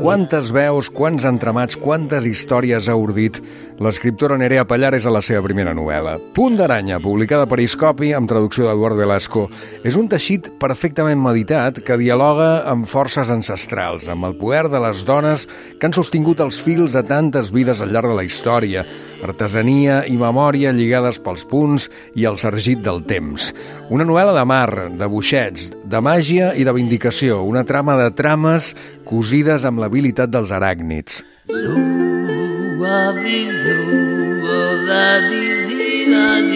Quantes veus, quants entramats, quantes històries ha ordit l'escriptora Nerea Pallares a la seva primera novel·la. Punt d'aranya, publicada per Iscopi amb traducció d'Eduard Velasco, és un teixit perfectament meditat que dialoga amb forces ancestrals, amb el poder de les dones que han sostingut els fils de tantes vides al llarg de la història, artesania i memòria lligades pels punts i el sargit del temps. Una novel·la de mar, de boixets, de màgia i de vindicació, una trama de trames cosides amb l'habilitat dels aràcnids.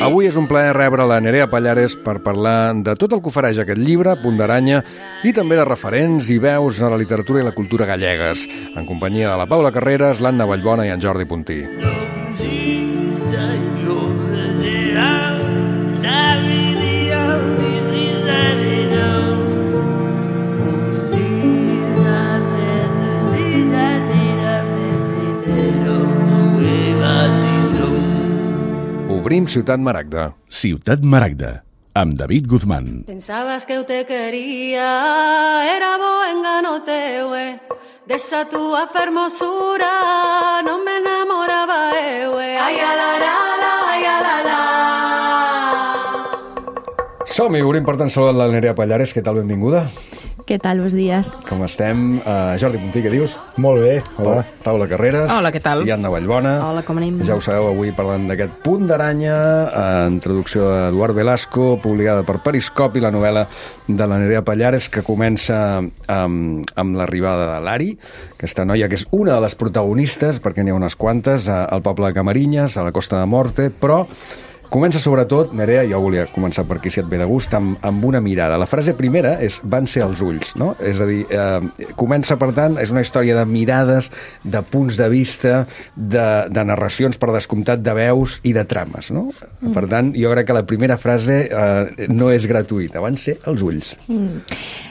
Avui és un plaer rebre la Nerea Pallares per parlar de tot el que ofereix aquest llibre, Punt d'aranya, i també de referents i veus a la literatura i la cultura gallegues, en companyia de la Paula Carreras, l'Anna Vallbona i en Jordi Puntí. Obrim Ciutat Maragda. Ciutat Maragda, amb David Guzmán. Pensabas que eu te quería, era bo engano teu, de esa tua fermosura, non me enamoraba eu, ai a la la, ai a la la. Som-hi, obrim per tant saludar la Nerea Pallares. Què tal, benvinguda? Què tal, bons dies? Com estem? Jordi Puntí, què dius? Molt bé, hola. Paula Carreras. Hola, què tal? I Anna Vallbona. Hola, com anem? Ja ho sabeu, avui parlant d'aquest Punt d'aranya, en traducció d'Eduard Velasco, publicada per Periscopi, la novel·la de la Nerea Pallares, que comença amb l'arribada de l'Ari, aquesta noia que és una de les protagonistes, perquè n'hi ha unes quantes, al poble de Camarinyes, a la Costa de Morte, però comença sobretot, Nerea, jo volia començar per aquí si et ve de gust, amb una mirada. La frase primera és van ser els ulls, no? És a dir, comença, per tant, és una història de mirades, de punts de vista, de narracions, per descomptat, de veus i de trames, no? Per tant, jo crec que la primera frase no és gratuïta, van ser els ulls.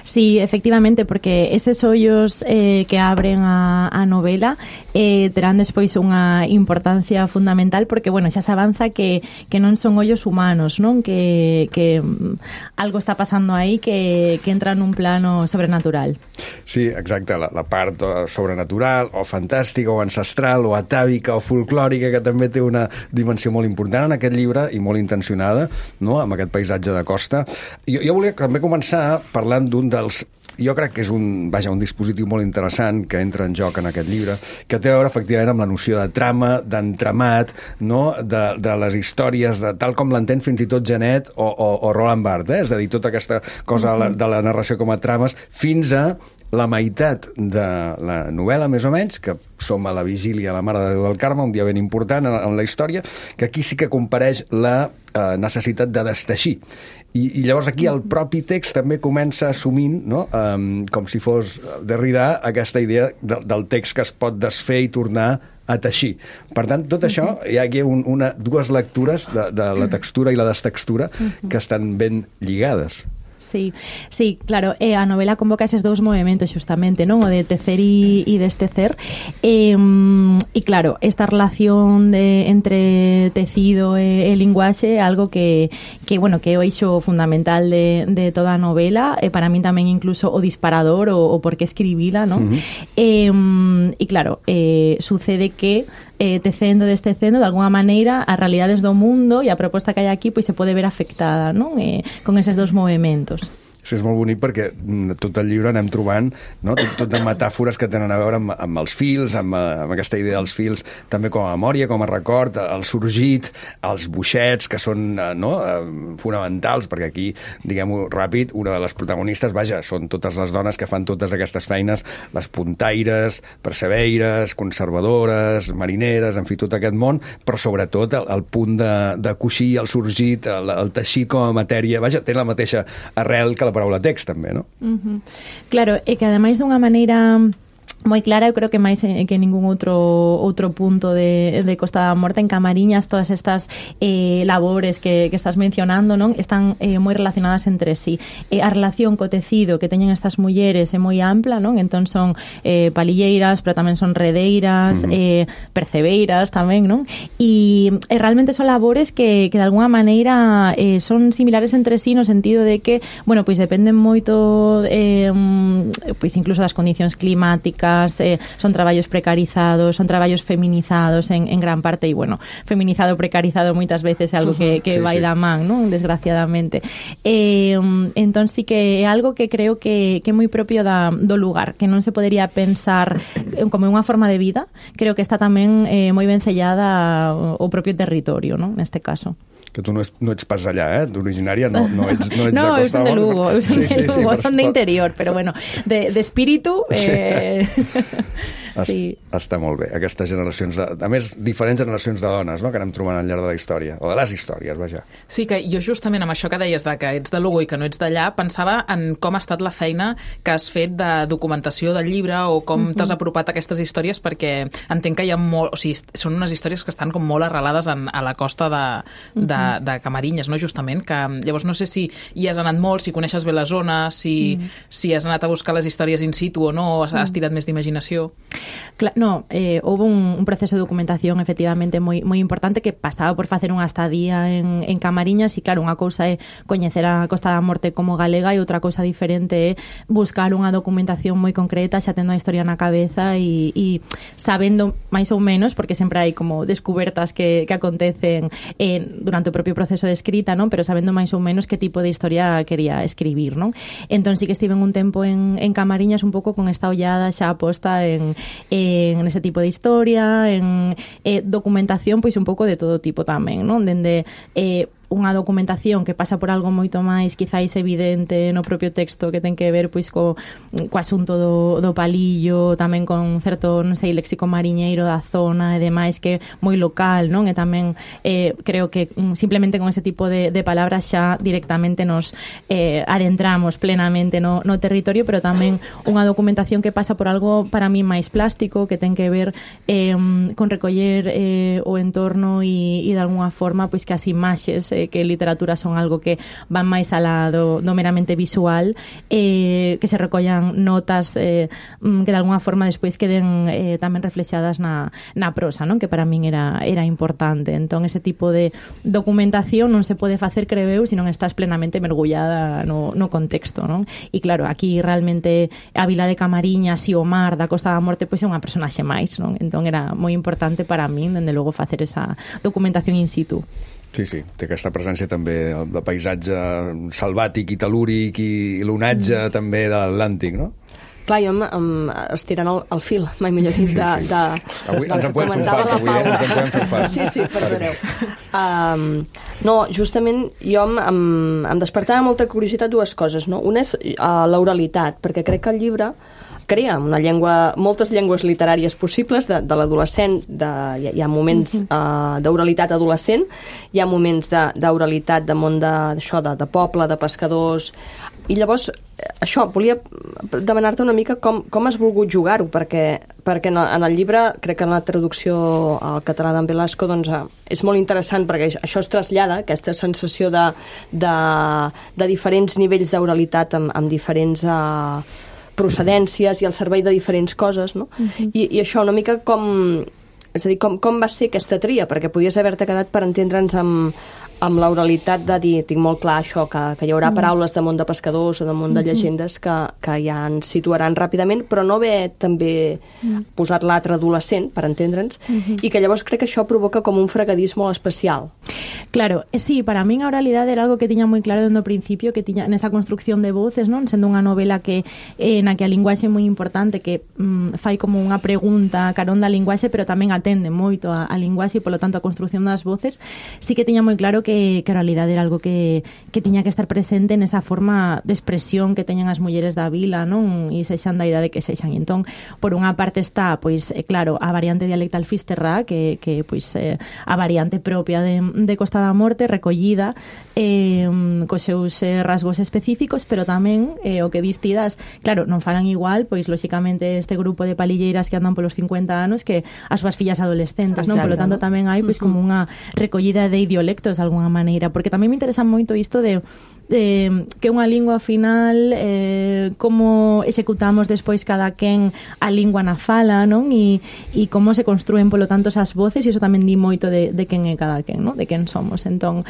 Sí, efectivamente, porque eses ollos que abren a novela terán despois unha importancia fundamental, porque, bueno, xa se avanza que non son ollos humanos, non? Que algo está pasando aí que entra nun plano sobrenatural. Sí, exacte, la part sobrenatural o fantàstica o ancestral o atàvica o folclòrica, que també té una dimensió molt important en aquest llibre i molt intencionada, no?, amb aquest paisatge de costa. Jo volia també començar parlant d'un dels... Jo crec que és un dispositiu molt interessant que entra en joc en aquest llibre, que té a veure efectivament amb la noció de trama, d'entramat, no?, de les històries, tal com l'entén fins i tot Genet o Roland Barthes, és a dir, tota aquesta cosa de la narració com a trames, fins a la meitat de la novel·la, més o menys, que som a la vigília de la Mare de Déu del Carme, un dia ben important en la història, que aquí sí que compareix la necessitat de desteixir. I llavors aquí el propi text també comença assumint, no?, com si fos Derrida, aquesta idea del text que es pot desfer i tornar a teixir. Per tant, tot això, hi ha aquí dues lectures de la textura i la destextura que estan ben lligades. Sí, claro, a novela convoca eses dous movimentos xustamente, non? O de tecer e destecer, e claro, esta relación entre tecido e linguaxe é algo que bueno, que é o eixo fundamental de toda a novela, e para min tamén incluso o disparador o por que escribila, non? E claro, sucede que tecendo, destecendo, de alguna maneira, as realidades do mundo e a proposta que hai aquí pois se pode ver afectada, non? Con eses dous movimentos. Això és molt bonic perquè tot el llibre anem trobant, no?, tot de metàfores que tenen a veure amb els fils, amb aquesta idea dels fils, també com a memòria, com a record, el sorgit, els boixets, que són fonamentals, perquè aquí, diguem-ho ràpid, una de les protagonistes, són totes les dones que fan totes aquestes feines, les puntaires, percebeires, conservadores, marineres, en fi, tot aquest món, però sobretot el punt de coixir, el sorgit, el teixir com a matèria, té la mateixa arrel que la paraula text, també, no? Claro, e que ademais dunha maneira moi clara, eu creo que máis que ningún outro punto de Costa da Morte. En Camariñas todas estas labores que estás mencionando, non, están moi relacionadas entre sí. A relación co tecido que teñen estas mulleres é moi ampla, non? Entón son palilleiras, pero tamén son redeiras, percebeiras tamén, non? E realmente son labores que de alguna maneira son similares entre sí no sentido de que, bueno, pois dependen moito pois incluso das condicións climáticas, son traballos precarizados, son traballos feminizados en gran parte, e bueno, feminizado, precarizado moitas veces é algo que vai da man, non? Desgraciadamente. Entón sí que é algo que creo que é moi propio do lugar, que non se podería pensar como unha forma de vida. Creo que está tamén moi ben sellada o propio territorio, non? Neste caso. Que tu no ets pas allà, d'originària no ets no, de Costa son de Lugo, son de interior, però bueno, de espíritu sí. Està molt bé, aquestes generacions a més, diferents generacions de dones, no?, que anem trobant al llarg de la història, o de les històries, vaja. Sí, que jo justament amb això que deies de que ets de Lugo i que no ets d'allà, pensava en com ha estat la feina que has fet de documentació del llibre o com t'has apropat a aquestes històries, perquè entenc que hi ha molt, o sigui, són unes històries que estan com molt arrelades a la costa de Camarinyes, no?, justament, que llavors no sé si hi has anat molt, si coneixes bé la zona, si has anat a buscar les històries in situ o no, has tirat més d'imaginació. No, houve un proceso de documentación efectivamente moi importante que pasaba por facer unha estadía en Camariñas e claro, unha cousa é coñecer a Costa da Morte como galega e outra cousa diferente é buscar unha documentación moi concreta xa tendo a historia na cabeza e sabendo máis ou menos, porque sempre hai como descubertas que acontecen durante o propio proceso de escrita, non? Pero sabendo máis ou menos que tipo de historia quería escribir, non? Entón sí que estive un tempo en Camariñas un pouco con esta ollada xa posta en ese tipo de historia, en documentación, pois un pouco de todo tipo tamén, non? Dende unha documentación que pasa por algo moito máis quizáis evidente no propio texto que ten que ver pois co asunto do palillo, tamén con certo, non sei, léxico mariñeiro da zona e demais que é moi local, non? E tamén creo que simplemente con ese tipo de palabras xa directamente nos adentramos plenamente no territorio, pero tamén unha documentación que pasa por algo para mí máis plástico, que ten que ver con recoller o entorno e de alguna forma pois que as imaxes que literatura son algo que van máis alá do meramente visual, que se recollan notas que de alguna forma despois queden tamén reflexadas na prosa, non? Que para min era importante. Entón ese tipo de documentación non se pode facer, creo eu, se non estás plenamente mergullada no contexto, non? E claro, aquí realmente a vila de Camariñas e o mar da Costa da Morte pois é unha personaxe máis, non? Entón era moi importante para min, dende logo, facer esa documentación in situ. Sí, té aquesta presència també de paisatge salvàtic i telúric i l'onatge també de l'Atlàntic, no? Clar, jo estirant el fil, mai millor dit, avui ens en podem fer un fals, avui, ens en podem fer un fals. Sí, perdoneu. No, justament jo em despertava molta curiositat dues coses, no? Una és l'oralitat, perquè crec que el llibre crea una llengua, moltes llengües literàries possibles de l'adolescent, hi ha moments d'oralitat adolescent, hi ha moments d'oralitat de món de poble, de pescadors, i llavors això, volia demanar-te una mica com has volgut jugar-ho, perquè en el llibre, crec que en la traducció al català d'en Velasco, doncs és molt interessant, perquè això es trasllada, aquesta sensació de diferents nivells d'oralitat amb diferents procedències i al servei de diferents coses, no? I això una mica és a dir, com va ser aquesta tria? Perquè podies haver-te quedat per entendre'ns amb l'oralitat de dir, tinc molt clar això, que hi haurà paraules de món de pescadors o de món de llegendes que ja ens situaran ràpidament, però no haver també posat l'altre adolescent, per entendre'ns, i que llavors crec que això provoca com un fregadís molt especial. Claro, sí, para min a oralidade era algo que tiña moi claro dende o principio, que tiña nesa construcción de voces, non? Sendo unha novela na que a linguaxe é moi importante, que fai como unha pregunta carón da linguaxe, pero tamén atende moito a linguaxe e, polo tanto, a construción das voces, sí que tiña moi claro que a realidade era algo que tiña que estar presente nesa forma de expresión que teñan as mulleres da vila, non? E sexan da idade que sexan. Entón, por unha parte está, pois, claro, a variante dialectal fisterrá, que pois, a variante propia de Costa da Morte, recollida, cos seus rasgos específicos, pero tamén o que distidas, claro, non falan igual, pois, lóxicamente, este grupo de palilleiras que andan polos 50 anos que as súas fillas adolescentes, non? Polo tanto, tamén hai, pois, como unha recollida de idiolectos, de alguna maneira, porque tamén me interesa moito isto de que unha lingua ao final como executamos despois cada quen a lingua na fala, non? E como se construen, polo tanto, esas voces, e iso tamén di moito de quen é cada quen, non? De quen somos. Entón,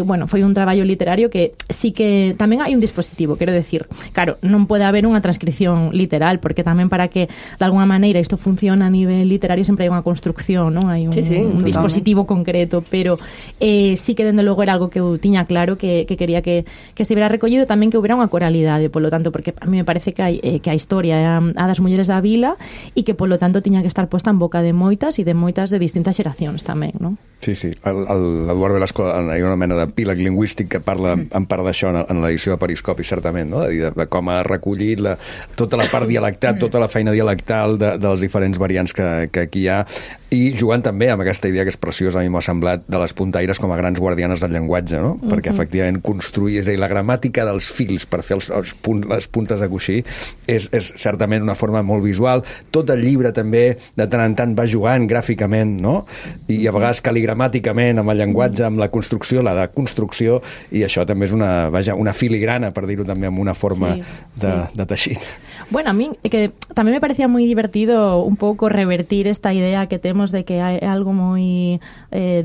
bueno, foi un traballo literario que sí que tamén hai un dispositivo, quero decir, claro, non pode haber unha transcripción literal, porque tamén para que de alguna maneira isto funciona a nivel literario sempre hai unha construcción, non? Hai un dispositivo concreto, pero sí que dende logo era algo que eu tiña claro que quería que estivera recollido, tamén que houbera unha coralidade, polo tanto, porque a mí me parece que a historia é a das mulleres da vila e que, polo tanto, tiña que estar posta en boca de moitas e de moitas de distintas xeracións tamén, non? Sí. L'Eduard Velasco, hi ha una mena d'epíleg lingüístic que parla en part d'això en l'edició de Periscopi, certament, no? De com ha recollit tota la part dialectal, tota la feina dialectal de les diferents variants que aquí hi ha, i jugant també amb aquesta idea que és preciosa, a mi m'ha semblat, de les puntaires com a grans guardianes del llenguatge, no? Perquè efectivament construir, és a dir, la gramàtica dels fils per fer les puntes de coixí és certament una forma molt visual. Tot el llibre també de tant en tant va jugant gràficament, no? I a vegades caligramàticament amb el llenguatge, amb la construcció, la deconstrucció, i això també és una filigrana, per dir-ho també, amb una forma de teixit. Bueno, a mí que tamén me parecía moi divertido un pouco revertir esta idea que temos de que é algo moi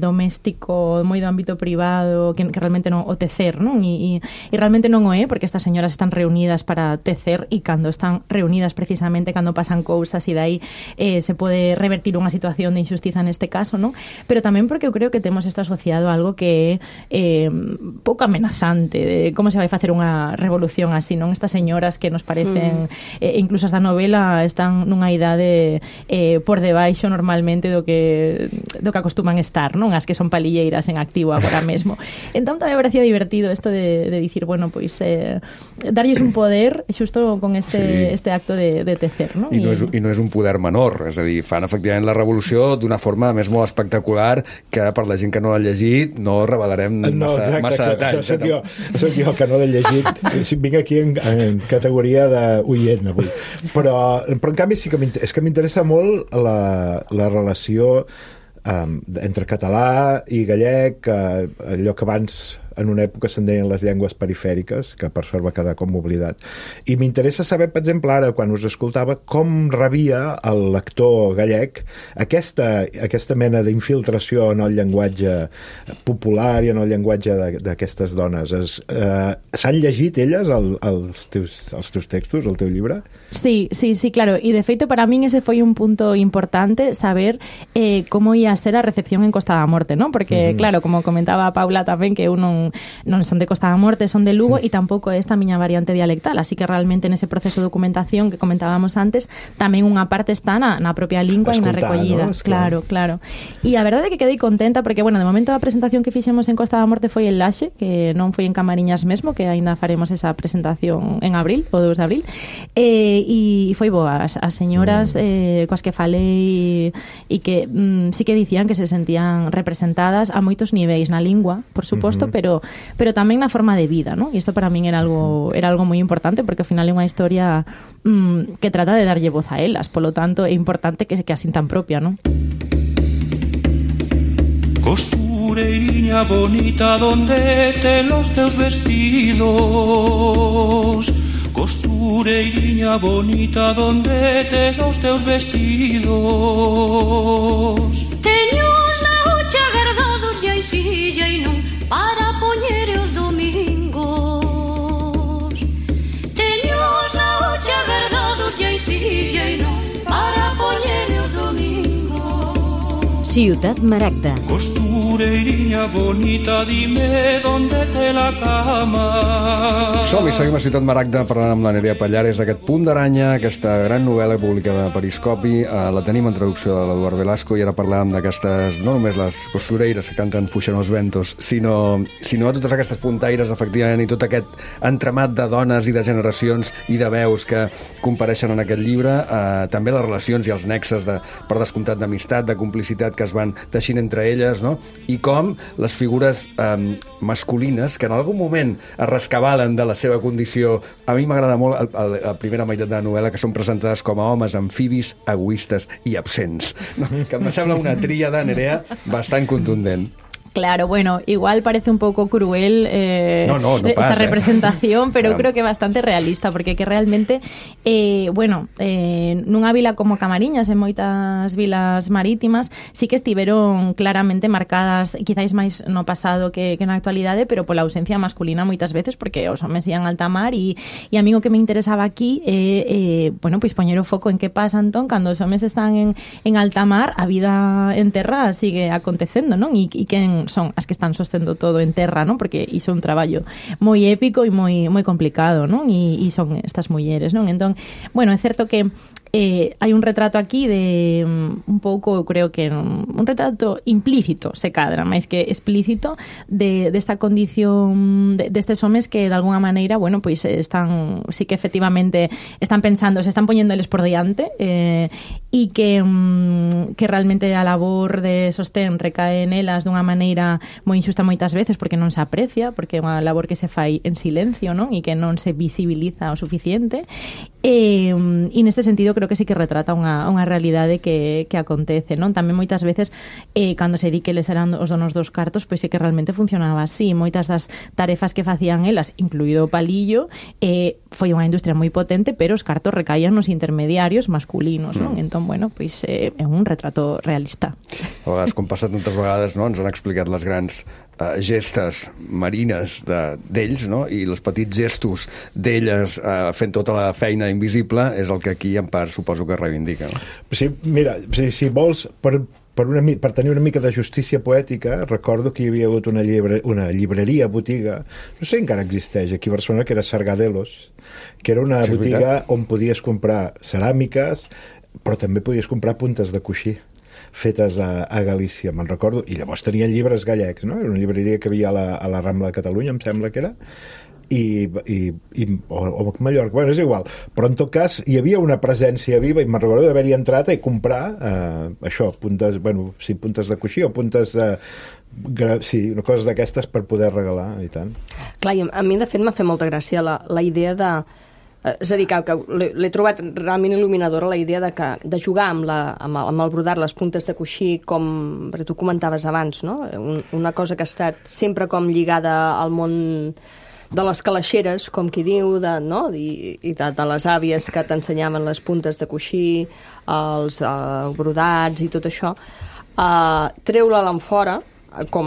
doméstico, moi do ámbito privado, que realmente non o tecer, non? E realmente non o é, porque estas señoras están reunidas para tecer, e cando están reunidas precisamente cando pasan cousas, e dai se pode revertir unha situación de injustiza neste caso, non? Pero tamén porque eu creo que temos isto asociado a algo que é pouco amenazante, de como se vai facer unha revolución así, non? Estas señoras que nos parecen incluso as da novela están nunha idade por debaixo normalmente do que acostuman estar, non? As que son palilleiras en activo agora mesmo. Entón tamén me parecía divertido isto de dicir, bueno, pois darlles un poder xusto con este acto de tecer, non? I no és un poder menor, és a dir, fan efectivament la revolució d'una forma més molt espectacular que per la gent que no l'ha llegit no revelarem massa detalls. Soc jo que no l'he llegit. Vinc aquí en categoria d'oient avui. Però en canvi sí que m'interessa molt la relació entre català i gallec, allò que abans en una època se'n deien les llengües perifèriques, que per sort va quedar com oblidat. I m'interessa saber, per exemple, ara, quan us escoltava, com rebia el lector gallec aquesta mena d'infiltració en el llenguatge popular i en el llenguatge d'aquestes dones. S'han llegit elles els teus textos, el teu llibre? Sí, claro. Y de feito, para min ese foi un punto importante, saber como ia ser a recepción en Costa da Morte, ¿no? Porque, claro, como comentaba Paula tamén, que eu non son de Costa da Morte, son de Lugo, e tampouco é esta miña variante dialectal, así que realmente nese proceso de documentación que comentábamos antes, tamén unha parte está na propia lingua e na recollida. ¿No? Claro. E a verdade é que quedei contenta porque, bueno, de momento a presentación que fixemos en Costa da Morte foi en Laxe, que non foi en Camariñas mesmo, que aínda faremos esa presentación en abril, o 2 de abril, e foi boa. As señoras coas que falei e que sí que dicían que se sentían representadas a moitos niveis, na lingua, por suposto, pero tamén na forma de vida, ¿no? E isto para min era algo moi importante, porque ao final é unha historia que trata de darlle voz a elas, polo tanto é importante que a sintan propia, ¿no? Costureiriña bonita, donde te los teus vestidos? Costureiriña bonita, donde te los teus vestidos? Teños na hucha guardados ya silla e non para poñer os domingos. Teños na hucha guardados ya silla e non para poñer os domingos. Ciutat Maragda. costureiriña bonita, dime dónde te la cama. Som-hi, seguim a Ciutat Maragda parlant amb la Nerea Pallares d'aquest Punt d'aranya, aquesta gran novel·la publicada a Periscopi. La tenim en traducció de l'Eduard Velasco i ara parlàvem d'aquestes, no només les costureires que canten Fuixen els ventos, sinó totes aquestes puntaires, efectivament, i tot aquest entramat de dones i de generacions i de veus que compareixen en aquest llibre. També les relacions i els nexes, per descomptat, d'amistat, de complicitat que es van teixint entre elles, no? I com les figures masculines, que en algun moment es rescabalen de la seva condició. A mi m'agrada molt la primera meitat de la novel·la, que són presentades com a homes amfibis, egoistes i absents. No? Que em sembla una tríada, Nerea, bastant contundent. Claro, bueno, igual parece un poco cruel no esta pasa, representación, pero claro, creo que bastante realista, porque que realmente, nunha vila como Camariñas, en moitas vilas marítimas, sí que estiveron claramente marcadas, quizáis máis no pasado que na actualidade, pero pola ausencia masculina moitas veces, porque os homes ian a alta mar, e a mí o que me interesaba aquí pois poñer o foco en que pasa, entón, cando os homes están en alta mar, a vida en terra sigue acontecendo, non? E quen son as que están sostendo todo en terra, non? Porque iso é un traballo moi épico e moi complicado, non? E son estas mulleres, non? Entón, bueno, é certo que hai un retrato aquí de un pouco, creo que un retrato implícito, se cadra, máis que explícito, desta condición destes homes que de alguna maneira, bueno, pois están, sí que efectivamente están pensando, se están poñéndoles por diante, e que realmente a labor de sostén recae nelas dunha maneira moi injusta moitas veces, porque non se aprecia, porque é unha labor que se fai en silencio, non? E que non se visibiliza o suficiente. E neste sentido creo que sí que retrata unha realidade que acontece, non? Tamén moitas veces cando se di que les eran os donos dos cartos, pois sí que realmente funcionaba así. Moitas das tarefas que facían elas, incluído o palillo, foi unha industria moi potente, pero os cartos recaían nos intermediarios masculinos, non? Entón, bueno, pois é un retrato realista. A vegades, com passa tantes vegades, no? Ens han explicat les grans gestes marines d'ells, no? I els petits gestos d'elles fent tota la feina invisible és el que aquí en part suposo que reivindica, no? Sí, mira, si vols, per tenir una mica de justícia poètica, recordo que hi havia hagut una llibreria, botiga, no sé si encara existeix, aquí a Barcelona, que era Sargadelos, que era una botiga on podies comprar ceràmiques, però també podies comprar puntes de coixí fetes a Galícia, me'n recordo, i llavors tenien llibres gallecs, no? Era una llibreria que havia a la Rambla de Catalunya, em sembla que era, o Mallorca, bueno, és igual, però en tot cas hi havia una presència viva i me'n recordo d'haver-hi entrat i comprar això, puntes de coixí o puntes coses d'aquestes per poder regalar i tant. Clar, a mi de fet m'ha fet molta gràcia la idea de... És a dir, que l'he trobat realment il·luminadora, la idea de jugar amb el brodat, les puntes de coixí, com tu comentaves abans, no? Una cosa que ha estat sempre com lligada al món de les calaixeres, com qui diu, i de les àvies que t'ensenyaven les puntes de coixí, els brodats i tot això, treure-la enfora, com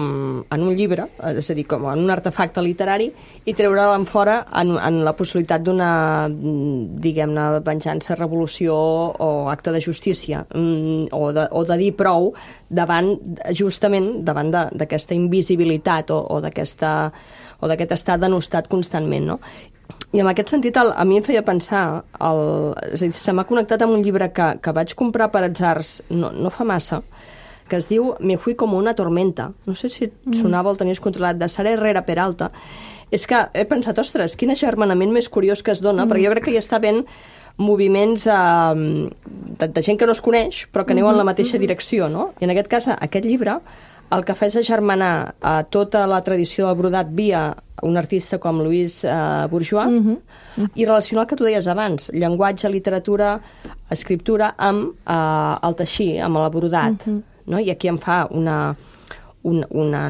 en un llibre, és a dir, com en un artefacte literari, i treure-la enfora en la possibilitat d'una, diguem-ne, venjança, revolució o acte de justícia, o de dir prou justament davant d'aquesta invisibilitat o d'aquest estat denostat constantment, no? I en aquest sentit, a mi em feia pensar, és a dir, se m'ha connectat amb un llibre que vaig comprar per atzars no fa massa, que es diu Me fui como una tormenta. No sé si et sonava o el tenies controlat, de Sara Herrera Peralta. És que he pensat, ostres, quin agermanament més curiós que es dona, perquè jo crec que hi està ben moviments de gent que no es coneix, però que aneu en la mateixa direcció, no? I en aquest cas, aquest llibre, el que fa és agermanar tota la tradició del brodat via un artista com Louise Bourgeois i relacionar el que tu deies abans, llenguatge, literatura, escriptura, amb el teixir, amb el brodat. No? I aquí em fa una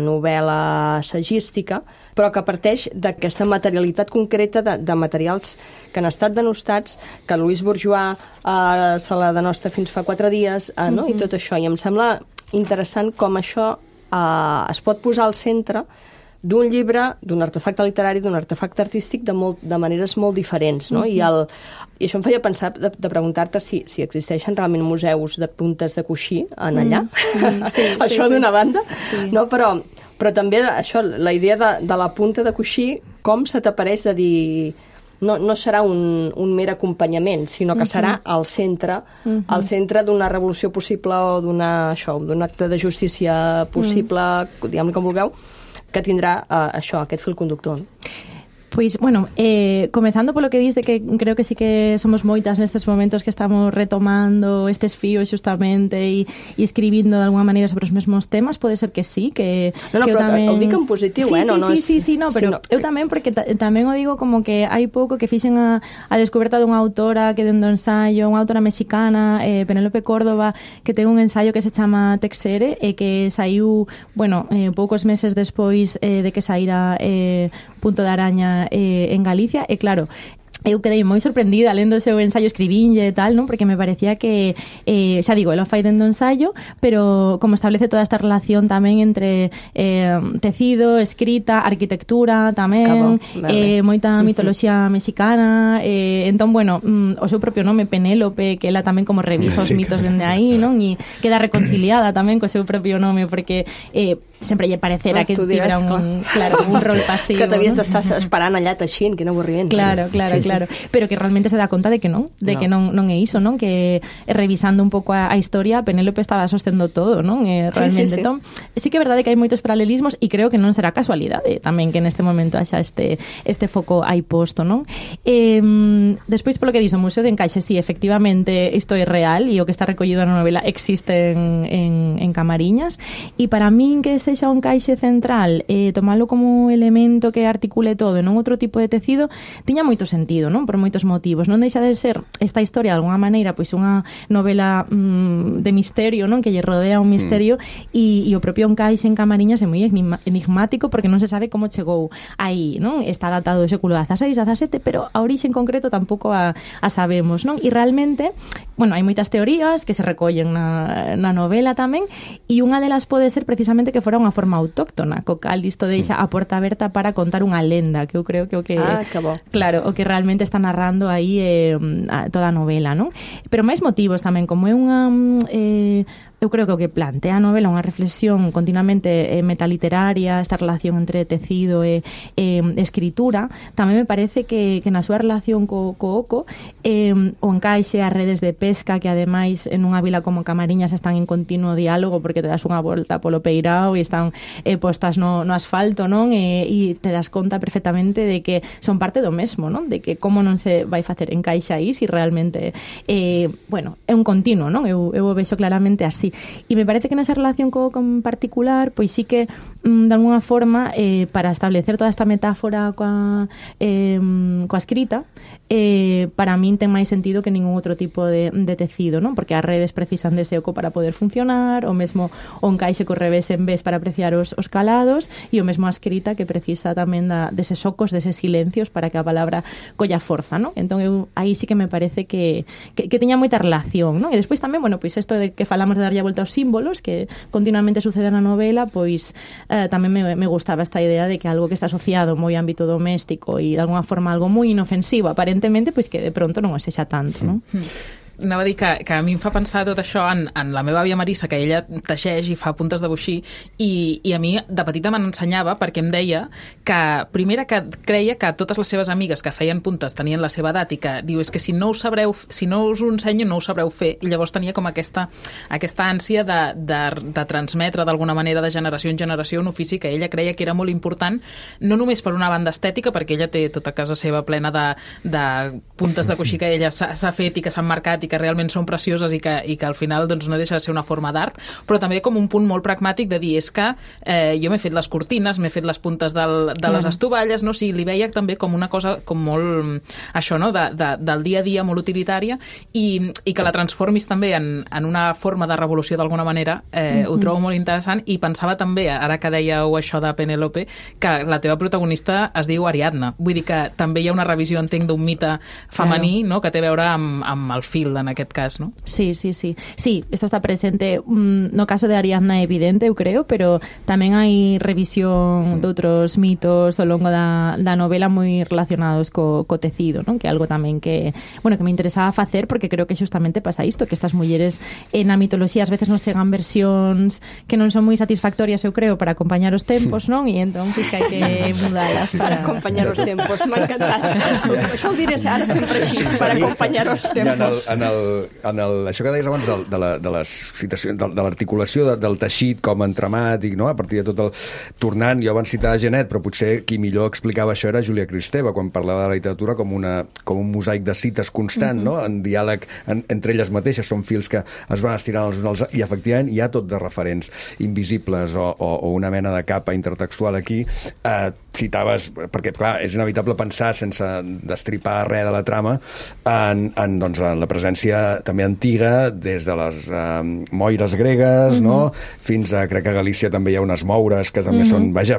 novel·la assagística, però que parteix d'aquesta materialitat concreta de materials que han estat denostats, que Louise Bourgeois se la denosta fins fa 4 dies, no? I tot això. I em sembla interessant com això es pot posar al centre d'un llibre, d'un artefacte literari, d'un artefacte artístic de maneres molt diferents, no? I això em feia pensar de preguntar-te si existeixen realment museus de puntes de coixí en allà. Això d'una banda. No, però també això, la idea de la punta de coixí, com se t'apareix de dir... No serà un mer acompanyament, sinó que serà al centre d'una revolució possible o d'un acte de justícia possible, diguem-ne com vulgueu, que tindrá aquest fil conductor. Pois, bueno, comezando polo que dis de que creo que sí que somos moitas nestes momentos que estamos retomando estes fíos xustamente e escribindo de alguna maneira sobre os mesmos temas, pode ser que sí, que pero tamén... o dico en positivo, Sí, pero eu tamén, porque tamén o digo como que hai pouco que fixen a descoberta dunha autora que dendo ensaio, unha autora mexicana, Penélope Córdoba, que ten un ensaio que se chama Texere, e que saiu, bueno, poucos meses despois de que saíra Punto de Araña en Galicia, e claro, eu quedei moi sorprendida lendo o seu ensaio, escribinlle e tal, non? Porque me parecía que, xa digo, ela fai dendo ensaio, pero como establece toda esta relación tamén entre tecido, escrita, arquitectura tamén, moita mitoloxía mexicana, entón, bueno, o seu propio nome, Penélope, que ela tamén como revisa os mitos dende aí, non? E queda reconciliada tamén co seu propio nome, porque sempre lle parecera que tivera un rol pasivo. Que t'havies d'estar esperant allà teixint, que no avorriment. Claro. Pero que realmente se dá conta de que non é iso, non? Que revisando un pouco a historia, Penélope estaba sostendo todo, non? Realmente. Entón, sí que é verdade que hai moitos paralelismos e creo que non será casualidade tamén que neste momento haxa este foco aí posto, non? Despois, polo que diz o Museo de Encaixe, sí, efectivamente, isto é real e o que está recollido na novela existe en Camariñas, e para min que sexa un caixe central, tomalo como elemento que articule todo e non outro tipo de tecido, tiña moito sentido, non? Por moitos motivos. Non deixa de ser esta historia de alguna maneira pois unha novela de misterio, non? Que lle rodea un misterio e o propio encaixe en Camariñas é moi enigmático porque non se sabe como chegou aí, non? Está datado do século XVI, XVII, pero a orixe en concreto tampouco a sabemos, non? E realmente, bueno, hai moitas teorías que se recollen na novela tamén, e unha delas pode ser precisamente que fora unha forma autóctona, co cal isto deixa a porta aberta para contar unha lenda, que eu creo que o que claro, o que realmente está narrando aí toda a novela, non? Pero máis motivos tamén, como é unha eu creo que o que plantea a novela unha reflexión continuamente metaliteraria, esta relación entre tecido e escritura, tamén me parece que na súa relación co oco, o encaixe as redes de pesca, que ademais en unha vila como Camariñas están en continuo diálogo porque te das unha volta polo peirao e están postas no asfalto, non? E te das conta perfectamente de que son parte do mesmo, non? De que como non se vai facer encaixe aí se realmente bueno, é un continuo, non? Eu o vexo claramente así. E me parece que nesa relación con particular, pois sí que de alguna forma para establecer toda esta metáfora coa escrita, para min ten máis sentido que ningún outro tipo de tecido, non? Porque as redes precisan dese oco para poder funcionar, o mesmo o encaixe co revés en vez para apreciar os calados, e o mesmo a escrita que precisa tamén deses ocos, deses silencios para que a palabra colla forza, non? Entón eu aí sí que me parece que teña moita relación, non? E despois tamén, bueno, pois isto de que falamos de darlle a volta aos símbolos que continuamente sucede na novela, pois tamén me gustaba esta idea de que algo que está asociado moi ao ámbito doméstico e de alguna forma algo moi inofensivo aparentemente, pois que de pronto non o sexa tanto, non? Anava a dir que a mi em fa pensar tot això en la meva àvia Marissa, que ella teixeix i fa puntes de boixí, i a mi de petita me n'ensenyava perquè em deia que, primera, que creia que totes les seves amigues que feien puntes tenien la seva edat i que diu, és que si no us ho ensenyo no ho sabreu fer, i llavors tenia com aquesta ànsia de transmetre d'alguna manera de generació en generació un ofici que ella creia que era molt important, no només per una banda estètica, perquè ella té tota casa seva plena de puntes de coixí que ella s'ha fet i que s'han marcat i que realment són precioses i que al final doncs, no deixa de ser una forma d'art, però també com un punt molt pragmàtic de dir, és que jo m'he fet les cortines, m'he fet les puntes de les estovalles, no? O sigui, li veia també com una cosa com molt, això, no? Del dia a dia, molt utilitària, i que la transformis també en una forma de revolució d'alguna manera, ho trobo molt interessant, i pensava també, ara que dèieu això de Penélope, que la teva protagonista es diu Ariadna, vull dir que també hi ha una revisió, entenc, d'un mite femení, no? Que té a veure amb el fil, moda en aquest cas, no? Sí. Sí, esto está presente no caso de Ariadna evidente, eu creo, pero tamén hai revisión de outros mitos ao longo da novela moi relacionados co tecido, non? Que é algo tamén que me interesaba facer, porque creo que xustamente pasa isto, que estas mulleres na mitoloxía ás veces nos chegan versións que non son moi satisfactorias, eu creo, para acompañar os tempos, non? E entón, que hai que mudalas para acompañar os tempos. M'ha encantat. Això ho diré ara sempre així, per acompanyar els tempos. Això que deies abans de les citacions, de l'articulació del teixit com entramat, i, no? A partir de tot el tornant, jo abans citava Genet, però potser qui millor explicava això era Júlia Kristeva, quan parlava de la literatura com un mosaic de cites constant, no? En diàleg entre elles mateixes, són fils que es van estirant els uns als altres, i efectivament hi ha tot de referents invisibles o una mena de capa intertextual aquí. Citaves, perquè clar, és inevitable pensar sense destripar res de la trama en la presència també antiga, des de les moires gregues, no? Fins a, crec que a Galícia també hi ha unes moures que també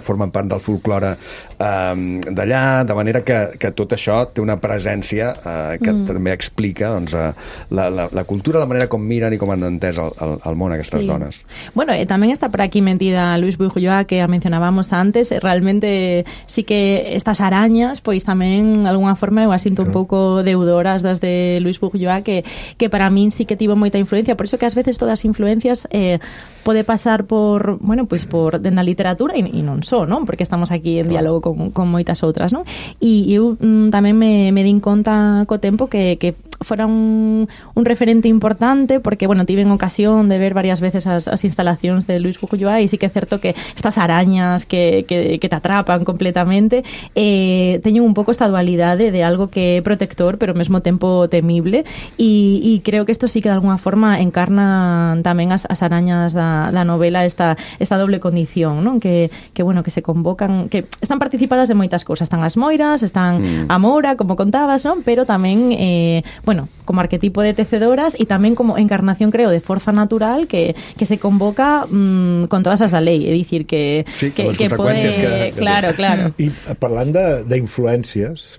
formen part del folklore d'allà, de manera que tot això té una presència que també explica la cultura, la manera com miren i com han entès el món aquestes dones. Bueno, también está por aquí metida Luis Bourgeois, que mencionábamos antes. Realmente sí que estas arañas, pois tamén, de alguna forma, eu asinto un pouco deudoras das de Luis Bourgeois, que para min sí que tivo moita influencia. Por iso que ás veces todas as influencias pode pasar por dentro da literatura e non só, non? Porque estamos aquí en diálogo con moitas outras, non? E eu tamén me din conta co tempo que fora un referente importante, porque, tiven ocasión de ver varias veces as instalacións de Luis Bourgeois, e sí que é certo que estas arañas que te atrapan completamente teñen un pouco esta dualidade de algo que é protector, pero ao mesmo tempo temible, e creo que isto sí que de alguna forma encarna tamén as arañas da novela, esta doble condición, non? Que se convocan, que están participadas de moitas cousas, están as moiras, están a Moura, como contabas, non? Pero tamén como arquetipo de tecedoras e tamén como encarnación, creo, de forza natural que se convoca con todas as da lei, é dicir que consecuencias pode... Claro. I parlant d'influències,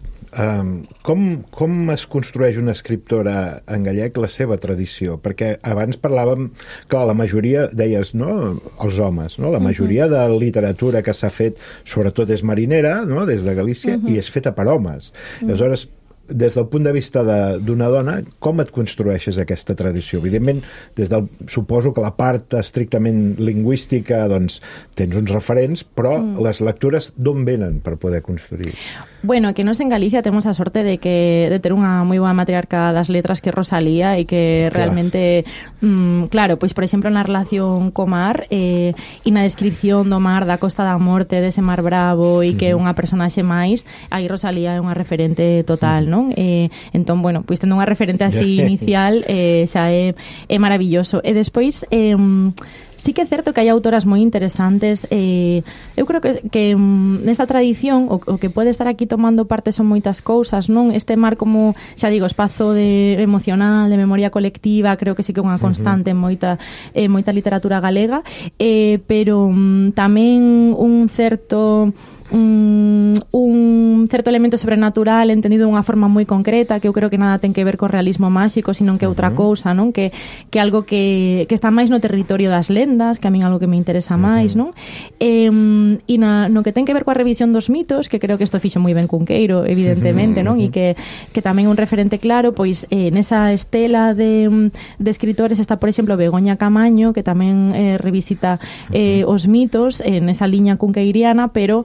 com es construeix una escriptora en gallec la seva tradició? Perquè abans parlàvem, clar, la majoria, deies, no?, els homes, no? La majoria de literatura que s'ha fet, sobretot és marinera, no?, des de Galícia, i és feta per homes. Aleshores, des del punt de vista d'una dona, com et construeixes aquesta tradició? Evidentment, suposo que la part estrictament lingüística, doncs, tens uns referents, però les lectures d'on venen per poder construir? Bueno, que nos en Galicia temos a sorte de ter unha moi boa matriarca das letras que é Rosalía, e que realmente, claro, pois, por exemplo, na relación co mar e na descripción do mar, da Costa da Morte, dese mar bravo, e que é unha personaxe máis, aí Rosalía é unha referente total, non? Entón, bueno, pois tendo unha referente así inicial, xa é maravilloso. E despois, sí que é certo que hai autoras moi interesantes. Eu creo que nesta tradición o que pode estar aquí tomando parte son moitas cousas, non? Este mar como, xa digo, espazo emocional, de memoria colectiva, creo que sí que é unha constante en moita literatura galega, pero tamén un certo elemento sobrenatural entendido de unha forma moi concreta, que eu creo que nada ten que ver co realismo máxico, sino que outra cousa, non? Que algo que está máis no territorio das lendas, que a min algo que me interesa máis, non? E no que ten que ver coa revisión dos mitos, que creo que isto fixo moi ben Cunqueiro, evidentemente, non? E que tamén un referente claro, pois nesa estela de escritores está, por exemplo, Begoña Camaño, que tamén revisita os mitos nesa liña cunqueiriana, pero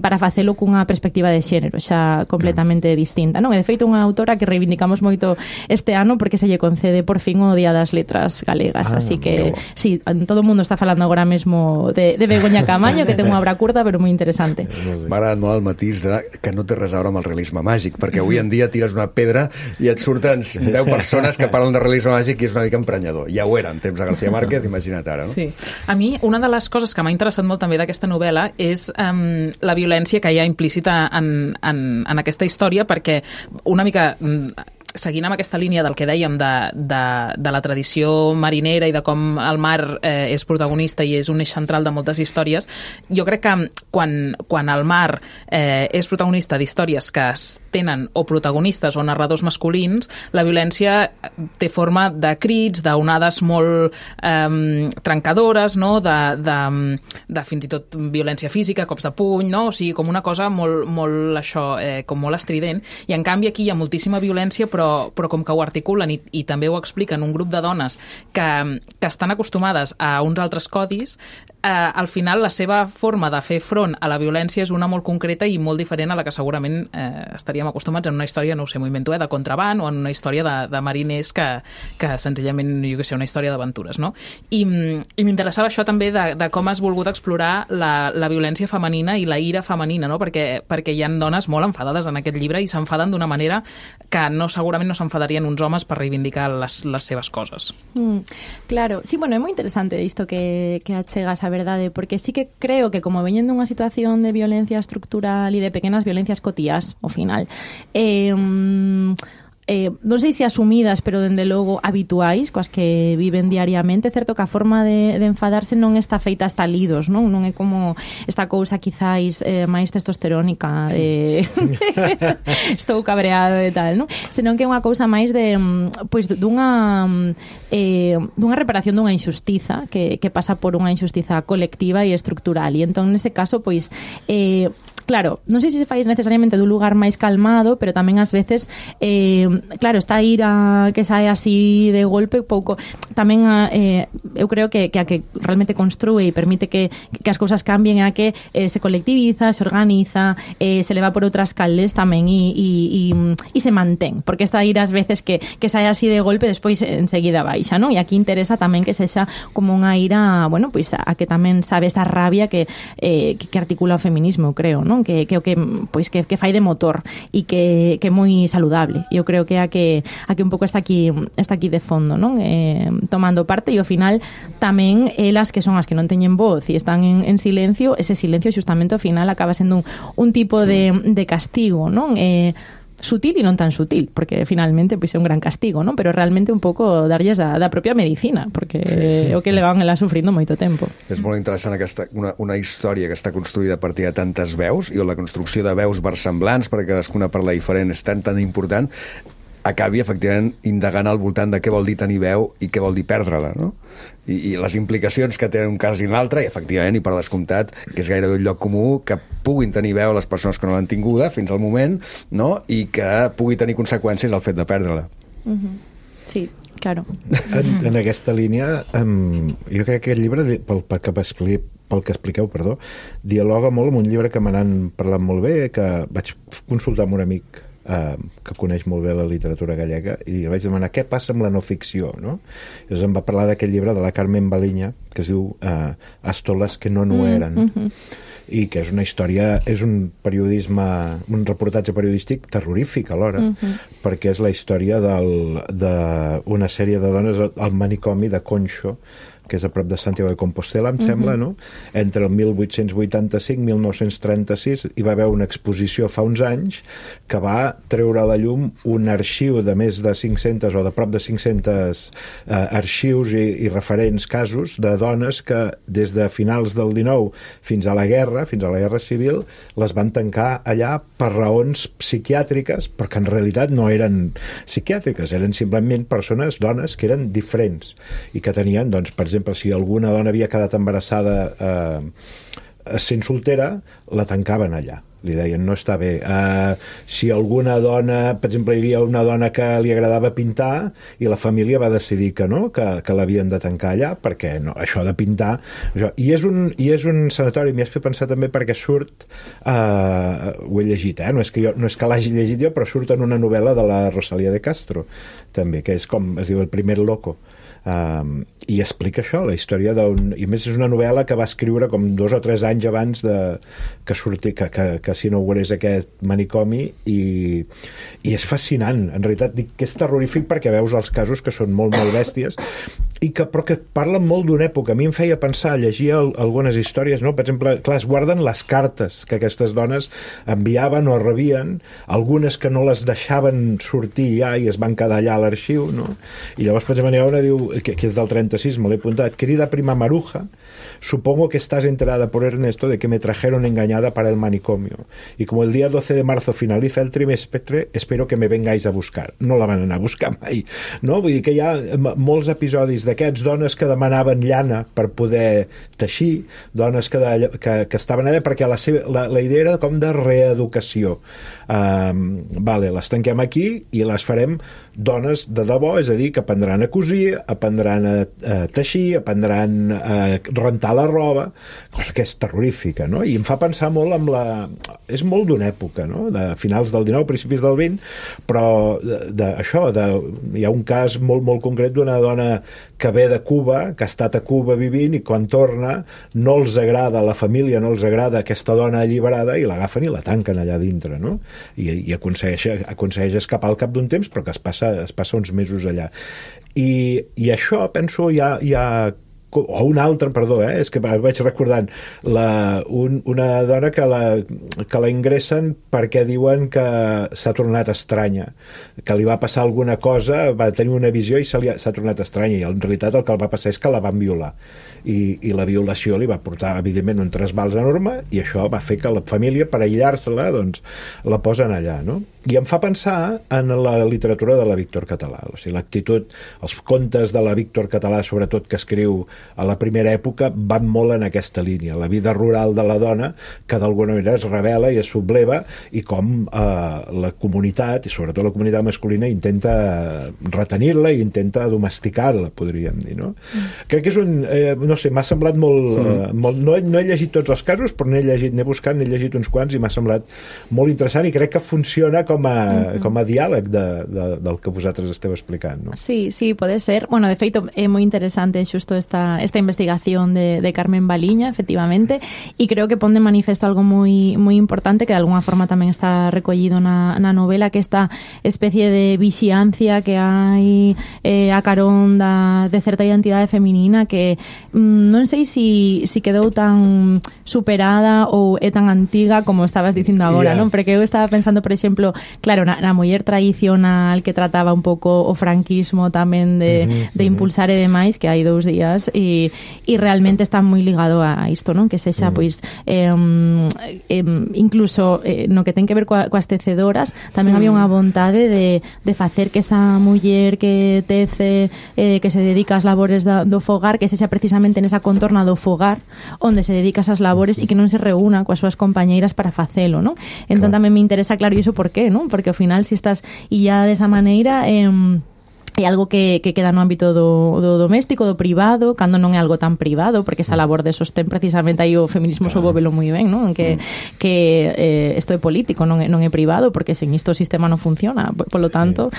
para facelo cunha perspectiva de xénero xa completamente distinta, non? E de feito unha autora que reivindicamos moito este ano porque se lle concede por fin o Día das Letras Galegas, así que sí, todo o mundo está falando agora mesmo de Begoña Camaño, que ten unha obra curta però moi interesante. M'ha agradat molt el matís que no té res a veure amb el realisme màgic, perquè avui en dia tires una pedra i et surten 10 persones que parlen de realisme màgic i és una mica emprenyador. Ja ho era en temps de García Márquez, imagina't ara, no? Sí. A mi, una de les coses que m'ha interessat molt també d'aquesta novel·la és la violència que hi ha implícita en aquesta història, perquè una mica seguint amb aquesta línia del que dèiem de la tradició marinera i de com el mar és protagonista i és un eix central de moltes històries, jo crec que quan el mar és protagonista d'històries que tenen o protagonistes o narradors masculins, la violència té forma de crits, d'onades molt trencadores, no? de fins i tot violència física, cops de puny, no? O sigui, com una cosa molt això, com molt estrident. I en canvi aquí hi ha moltíssima violència, però com que ho articulen i també ho expliquen un grup de dones que estan acostumades a uns altres codis, al final la seva forma de fer front a la violència és una molt concreta i molt diferent a la que segurament estaríem acostumats en una història, no ho sé, m'ho invento, de contraband o en una història de mariners que senzillament, jo què sé, una història d'aventures, no? I m'interessava això també de com has volgut explorar la violència femenina i la ira femenina, no? Perquè hi ha dones molt enfadades en aquest llibre i s'enfaden d'una manera que segurament no s'enfadarien uns homes per reivindicar les seves coses. Claro, sí, bueno, é moi interesante isto que achegas a verdade, porque sí que creo que como veñen dunha situación de violencia estructural e de pequenas violencias cotías, ao final, non sei se asumidas, pero dende logo habituais, coas que viven diariamente, certo que a forma de enfadarse non está feita hasta lidos, non é como esta cousa quizáis máis testosterónica de estou cabreado e tal, non? Senón que é unha cousa máis de pois dunha reparación dunha injustiza que pasa por unha injustiza colectiva e estructural, e entón nese caso pois claro, non sei se fai necesariamente dun lugar máis calmado, pero tamén ás veces claro, esta ira que sae así de golpe pouco, tamén eu creo que a que realmente construe e permite que as cousas cambien é a que se colectiviza, se organiza, se leva por outras calles tamén e se mantén, porque esta ira ás veces que sae así de golpe despois enseguida baixa, non? E aquí interesa tamén que sexa como unha ira, bueno, pois a que tamén sabe esta rabia que articula o feminismo, creo, non? Que o que pois que fai de motor e que é moi saludable. Eu creo que a que un pouco está aquí de fondo, non? Tomando parte e ao final tamén elas que son as que non teñen voz e están en silencio, ese silencio xustamente ao final acaba sendo un tipo de castigo, non? Sutil e non tan sutil, porque finalmente pois é un gran castigo, non? Pero realmente un pouco darlles da propia medicina, porque é o que levan elas sufrindo moito tempo. És molt interessant una història que està construïda a partir de tantes veus, i la construcció de veus versemblants, perquè cadascuna parla diferent, és tan important, acabi efectivament indagant al voltant de què vol dir tenir veu i què vol dir perdre-la, no? I les implicacions que tenen un cas i un altre, i efectivament, i per descomptat, que és gairebé un lloc comú, que puguin tenir veu les persones que no l'han tinguda fins al moment, no? I que pugui tenir conseqüències el fet de perdre-la. Sí, claro. En aquesta línia, jo crec que aquest llibre, pel que expliqueu, dialoga molt amb un llibre que me n'han parlat molt bé, que vaig consultar amb un amic que coneix molt bé la literatura gallega, i vaig demanar què passa amb la no ficció, no? Llavors em va parlar d'aquest llibre de la Carmen Baliña que es diu Astoles que no eren, i que és una història, és un reportatge periodístic terrorífic alhora, perquè és la història d'una sèrie de dones al manicomi de Conxo, que és a prop de Santiago de Compostela, em sembla, no? Entre el 1885 i 1936 hi va haver una exposició fa uns anys que va treure a la llum un arxiu de més de 500 o de prop de 500 arxius i referents casos de dones que des de finals del 19 fins a la guerra civil, les van tancar allà per raons psiquiàtriques, perquè en realitat no eren psiquiàtriques, eren simplement dones que eren diferents i que tenien, doncs, per exemple, si alguna dona havia quedat embarassada sent soltera, la tancaven allà. Li deien, no està bé. Si alguna dona, per exemple, hi havia una dona que li agradava pintar i la família va decidir que no, que l'havien de tancar allà, perquè no, això de pintar... I és un sanatori, m'hi has fet pensar també perquè surt, ho he llegit, no és que l'hagi llegit jo, però surt en una novel·la de la Rosalía de Castro, també, que és com es diu El primer loco. I explica això, la història i més és una novel·la que va escriure com 2 o 3 anys abans que s'inaugurés aquest manicomi, i és fascinant, en realitat dic que és terrorífic perquè veus els casos que són molt bèsties, però que parlen molt d'una època. A mi em feia pensar, llegir algunes històries, no? Per exemple, clar, es guarden les cartes que aquestes dones enviaven o rebien, algunes que no les deixaven sortir ja i es van quedar allà a l'arxiu, no? I llavors, per exemple, hi ha una, diu, que és del 36, me l'he apuntat, querida prima Maruja, supongo que estás enterada por Ernesto de que me trajeron engañada para el manicomio. Y como el día 12 de marzo finaliza el trimestre, espero que me vengáis a buscar. No la van anar a buscar mai, no? Vull dir que hi ha molts episodis d'aquests, dones que demanaven llana per poder teixir, dones que estaven allà perquè la idea era com de reeducació. Vale, les tanquem aquí i les farem dones de debò, és a dir, que aprendran a cosir, aprendran a teixir, aprendran a rentar la roba, cosa que és terrorífica, no? I em fa pensar molt amb és molt d'una època, no? De finals del 19, principis del 20, però hi ha un cas molt, molt concret d'una dona que ve de Cuba, que ha estat a Cuba vivint i quan torna no els agrada, la família no els agrada aquesta dona alliberada i l'agafen i la tanquen allà dintre, no? I aconsegueix escapar al cap d'un temps, però que es passa uns mesos allà. I això, penso, hi ha o un altre, perdó, és que vaig recordant una dona que la ingressen perquè diuen que s'ha tornat estranya, que li va passar alguna cosa, va tenir una visió i s'ha tornat estranya, i en realitat el que el va passar és que la van violar, i la violació li va portar evidentment un trasbals enorme, i això va fer que la família, per aïllar-se-la, doncs la posen allà, no? I em fa pensar en la literatura de la Víctor Català, o sigui, l'actitud, els contes de la Víctor Català, sobretot que escriu a la primera època, van molt en aquesta línia, la vida rural de la dona, que d'alguna manera es revela i es subleva, i com la comunitat, i sobretot la comunitat masculina, intenta retenir-la i intenta domesticar-la, podríem dir, no? Crec que és no sé, m'ha semblat molt... No he llegit tots els casos, però n'he llegit uns quants i m'ha semblat molt interessant, i crec que funciona com a diàleg del que vosaltres esteu explicant, ¿no? Sí, puede ser. Bueno, de feito, é moi interesante xusto esta investigación de Carmen Baliña, efectivamente, e creo que pon de manifesto algo moi importante que de alguna forma tamén está recollido na novela, que esta especie de vixiancia que hai a carón de certa identidade feminina que non sei si quedou tan superada ou é tan antiga como estabas dicindo agora, non? Porque eu estaba pensando, por exemplo, claro, na muller tradicional que trataba un pouco o franquismo tamén de impulsar e demais, que hai 2 días e realmente está moi ligado a isto, non? Que sexa, pois, incluso no que ten que ver coas tecedoras, tamén había unha vontade de facer que esa muller que tece, que se dedica ás labores do fogar, que sexa precisamente nesa contorna do fogar onde se dedica a esas labores e que non se reúna coas súas compañeiras para facelo, non? Entón tamén me interesa, claro, iso por qué, non? Porque ao final, se estás illada desa maneira, é algo que queda no ámbito do doméstico, do privado, cando non é algo tan privado, porque esa labor de sostén precisamente aí o feminismo sobóvelo moi ben, non? Que isto é político, non é privado, porque sen isto o sistema non funciona, polo tanto,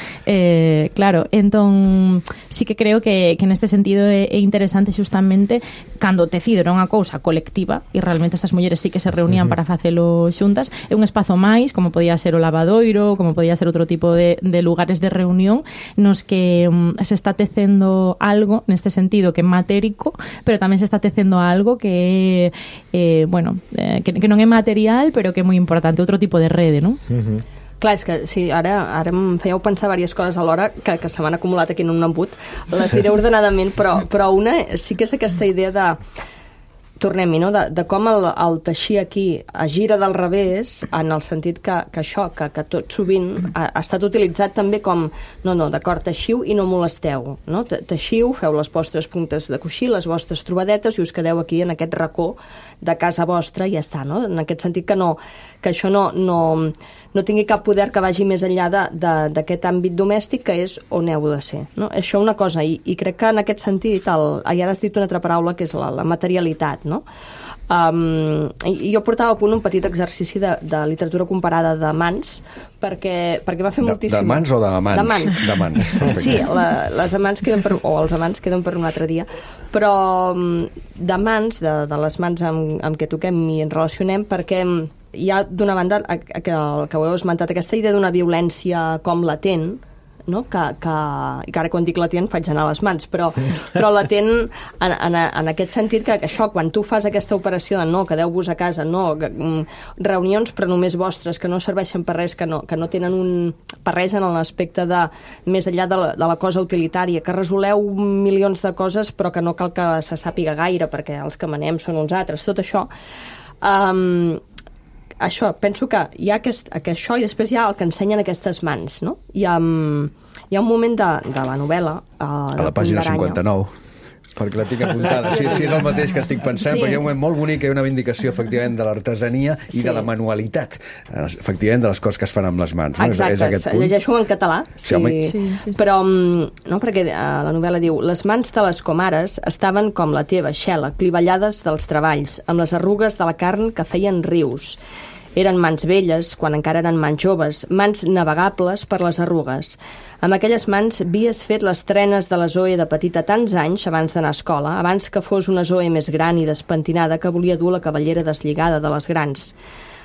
claro, entón sí que creo que neste sentido é interesante xustamente cando o tecido era unha cousa colectiva e realmente estas mulleres sí que se reunían para facelo xuntas, é un espazo máis, como podía ser o lavadoiro, como podía ser outro tipo de lugares de reunión nos que se está tecendo algo neste sentido que é matérico, pero tamén se está tecendo algo que que non é material, pero que é moi importante, outro tipo de rede, non? Clar, és que sí, ara em fèieu pensar diverses coses alhora que se m'han acumulat aquí en un embut, les diré ordenadament, però una sí que és aquesta idea de tornem-hi, no? De com el teixir aquí es gira del revés, en el sentit que tot sovint ha estat utilitzat també com no, d'acord, teixiu i no molesteu, no? Teixiu, feu les vostres puntes de coixí, les vostres trobadetes i us quedeu aquí en aquest racó de casa vostra i ja està, no? En aquest sentit que això no tingui cap poder que vagi més enllà d'aquest àmbit domèstic que és on heu de ser, no? Això una cosa, i crec que en aquest sentit, ara has dit una altra paraula que és la materialitat, no? Jo portava a punt un petit exercici de literatura comparada de mans perquè m'ha fet moltíssim... De mans o d'amants? De mans. Sí, les amants o els amants queden per un altre dia, però de mans, de les mans amb què toquem i ens relacionem, perquè hi ha d'una banda que ho heu esmentat, aquesta idea d'una violència com latent, no? que ara quan dic latent faig anar les mans, però latent en aquest sentit que això, quan tu fas aquesta operació de no, quedeu-vos a casa, no, reunions però només vostres, que no serveixen per res, que no tenen per res en l'aspecte de més enllà de la cosa utilitària, que resoleu milions de coses però que no cal que se sàpiga gaire perquè els que manem són uns altres, tot això això, penso que hi ha això i després hi ha el que ensenyen aquestes mans, no? Hi ha un moment de la novel·la a la pàgina 59 perquè la tinc apuntada, si és el mateix que estic pensant, perquè hi ha un moment molt bonic, hi ha una vindicació efectivament de l'artesania i de la manualitat, efectivament de les coses que es fan amb les mans, no? Exacte, llegeixo en català, sí. Però no, perquè la novel·la diu: les mans de les comares estaven com la teva, Xela, clivellades dels treballs, amb les arrugues de la carn que feien rius. Eren mans velles, quan encara eren mans joves, mans navegables per les arrugues. Amb aquelles mans havies fet les trenes de la Zoe de petita tants anys abans d'anar a escola, abans que fos una Zoe més gran i despentinada que volia dur la cabellera deslligada de les grans.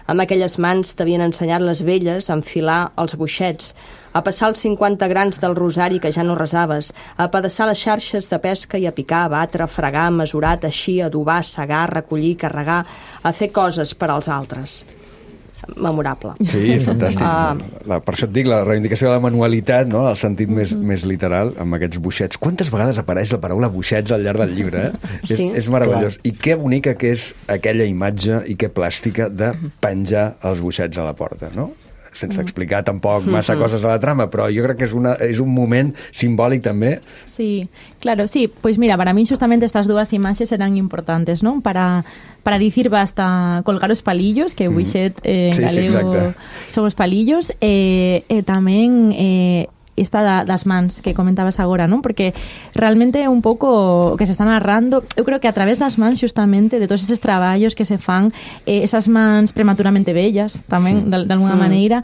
Amb aquelles mans t'havien ensenyat les velles a enfilar els boixets, a passar els 50 grans del rosari que ja no resaves, a pedaçar les xarxes de pesca i a picar, a batre, a fregar, a mesurar, a teixir, a adobar, a segar, a recollir, carregar, a fer coses per als altres. Memorable. Sí, és fantàstic. Per això et dic, la reivindicació de la manualitat, no? El sentit més literal, amb aquests boixets. Quantes vegades apareix la paraula boixets al llarg del llibre, Sí. És meravellós. Clar. I que bonica que és aquella imatge i que plàstica de penjar els boixets a la porta, no? Sense explicar tampoc massa cosas a la trama, però jo crec que és un moment simbòlic també. Sí, claro, sí. Pues mira, para mí justamente estas dos imágenes eran importantes, ¿no? Para decir basta colgar os palillos, que Buixet en galego son os palillos, tamén esta das mans que comentabas agora, non? Porque realmente un pouco que se está narrando, eu creo que a través das mans justamente de todos eses traballos que se fan, esas mans prematuramente bellas tamén, de alguna maneira,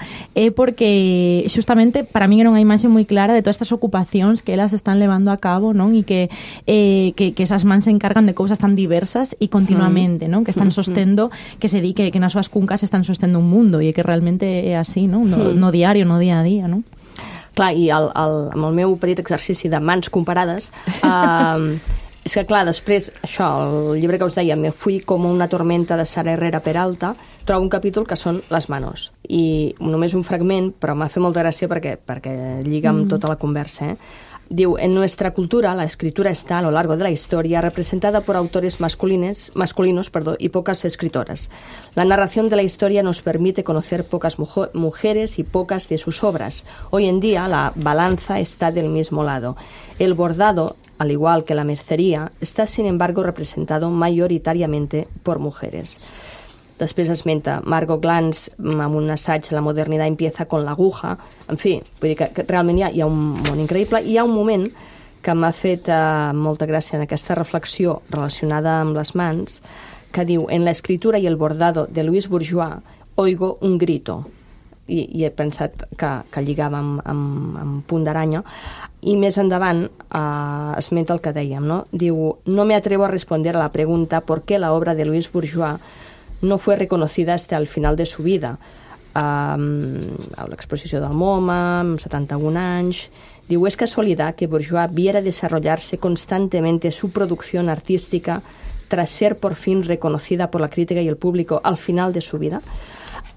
porque justamente para min era unha imaxe moi clara de todas estas ocupacións que elas están levando a cabo, non? E que esas mans se encargan de cousas tan diversas e continuamente, non? Que están sostendo, que se di que nas súas cuncas están sostendo un mundo e que realmente é así, non? No diario, no día a día, non? Clar, i amb el meu petit exercici de mans comparades, és que, clar, després, això, el llibre que us deia, Me fui com una tormenta de Sara Herrera Peralta, trobo un capítol que són les manos. I només un fragment, però m'ha fet molta gràcia perquè lliga amb tota la conversa, Diu, en nuestra cultura la escritura está a lo largo de la historia representada por autores masculinos y pocas escritoras. La narración de la historia nos permite conocer pocas mujeres y pocas de sus obras. Hoy en día la balanza está del mismo lado. El bordado, al igual que la mercería, está sin embargo representado mayoritariamente por mujeres. Després esmenta Margot Glantz amb un assaig La modernidad empieza con la aguja. En fi, vull dir que realment hi ha un món increïble. Hi ha un moment que m'ha fet molta gràcia en aquesta reflexió relacionada amb les mans, que diu, en la escritura y el bordado de Louise Bourgeois oigo un grito. I he pensat que lligava amb punt d'aranya. I més endavant esmenta el que dèiem, no? Diu, no me atrevo a responder a la pregunta por qué la obra de Louise Bourgeois no fue reconocida hasta el final de su vida. A l'exposició del MoMA, amb 71 anys. Diu, es casualidad que Bourgeois viera desarrollarse constantemente su producción artística tras ser por fin reconocida por la crítica y el público al final de su vida.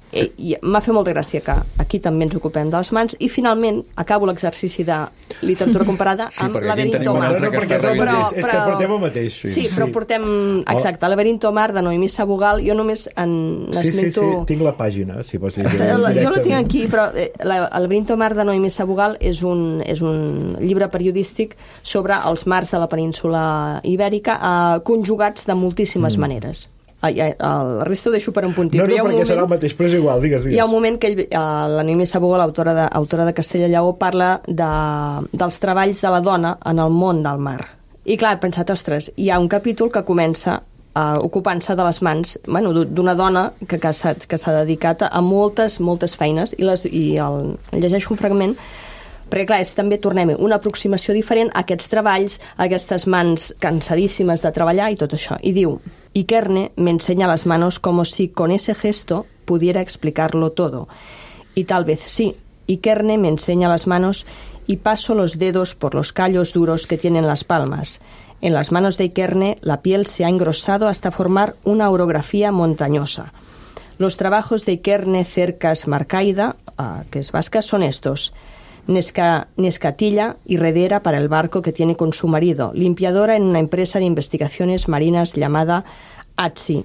I m'ha fet molta gràcia que aquí també ens ocupem de les mans i finalment acabo l'exercici de literatura comparada amb Laberinto Mar. És que portem el mateix. Sí, però portem... Exacte, Laberinto Mar de Noemí Sabugal. Jo només n'esmento... Sí, tinc la pàgina, si vols dir. Jo la tinc aquí, però Laberinto Mar de Noemí Sabugal és un llibre periodístic sobre els mars de la península ibèrica conjugats de moltíssimes maneres. La resta ho deixo per un puntí. No, perquè serà el mateix, però és igual, digues. Hi ha un moment que la Noemí Sabugal, autora de Castella Lleó, parla dels treballs de la dona en el món del mar. I clar, he pensat, ostres, hi ha un capítol que comença ocupant-se de les mans d'una dona que s'ha dedicat a moltes feines i llegeixo un fragment perquè clar, també tornem una aproximació diferent a aquests treballs, a aquestes mans cansadíssimes de treballar i tot això. I diu, Ikerne me enseña las manos como si con ese gesto pudiera explicarlo todo. Y tal vez sí, Ikerne me enseña las manos y paso los dedos por los callos duros que tienen las palmas. En las manos de Ikerne la piel se ha engrosado hasta formar una orografía montañosa. Los trabajos de Ikerne Cercas Marcaida, que es vasca, son estos: Nescatilla y redera para el barco que tiene con su marido, limpiadora en una empresa de investigaciones marinas llamada ATSI,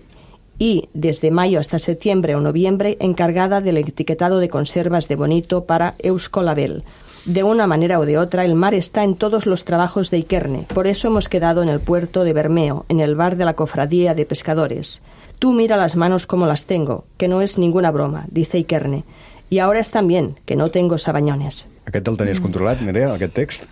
y desde mayo hasta septiembre o noviembre encargada del etiquetado de conservas de bonito para Euskolabel. De una manera o de otra, el mar está en todos los trabajos de Ikerne. Por eso hemos quedado en el puerto de Bermeo, en el bar de la cofradía de pescadores. Tú mira las manos como las tengo, que no es ninguna broma, dice Ikerne. Y ahora están bien, que no tengo sabañones. Aquest el tenies controlat, Nerea, aquest text?